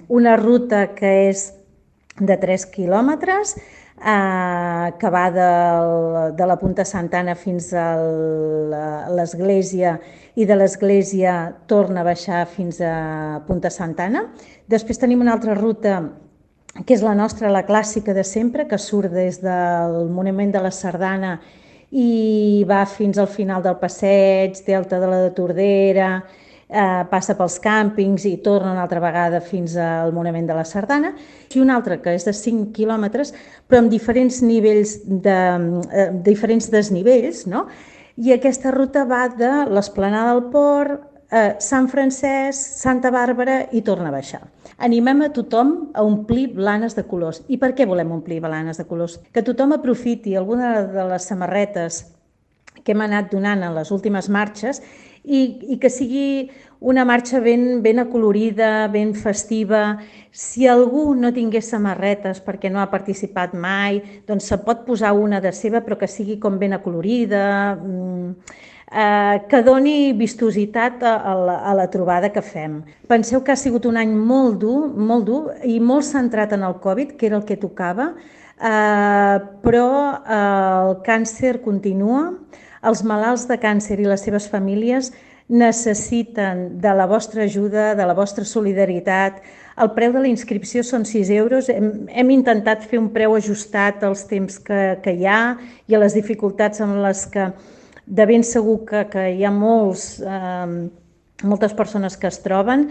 una ruta que és de 3 quilòmetres, que va de la Punta Santa Ana fins a l'església i de l'església torna a baixar fins a Punta Santa Ana. Després tenim una altra ruta que és la nostra, la clàssica de sempre, que surt des del Monument de la Sardana i va fins al final del passeig, Delta de la Tordera, passa pels càmpings i torna una altra vegada fins al Monument de la Sardana, i una altra que és de 5 quilòmetres, però amb diferents nivells diferents desnivells, no? I aquesta ruta va de l'Esplanada del Port, Sant Francesc, Santa Bàrbara i torna a baixar. Animem a tothom a omplir blanes de colors. I per què volem omplir blanes de colors? Que tothom aprofiti alguna de les samarretes que hem anat donant en les últimes marxes i que sigui una marxa ben acolorida, ben festiva. Si algú no tingués samarretes perquè no ha participat mai, doncs se pot posar una de seva, però que sigui com ben acolorida, que doni vistositat a la trobada que fem. Penseu que ha sigut un any molt dur i molt centrat en el Covid, que era el que tocava, però el càncer continua. Els malalts de càncer i les seves famílies necessiten de la vostra ajuda, de la vostra solidaritat. El preu de la inscripció són 6 euros. Hem intentat fer un preu ajustat als temps que hi ha i a les dificultats en les que de ben segur que hi ha moltes persones que es troben.